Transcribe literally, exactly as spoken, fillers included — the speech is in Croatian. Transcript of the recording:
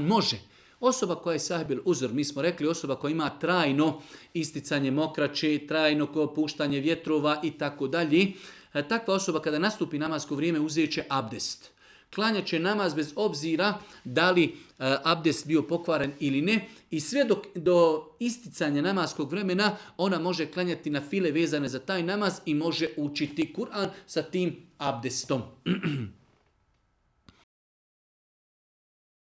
Može. Osoba koja je sahibil uzor, mi smo rekli osoba koja ima trajno isticanje mokraće, trajno puštanje vjetrova i tako dalje. Takva osoba kada nastupi namasko vrijeme uzet će abdest. Klanjat će namaz bez obzira da li abdest bio pokvaren ili ne. I sve do, do isticanja namaskog vremena ona može klanjati na file vezane za taj namaz i može učiti Kur'an sa tim abdestom.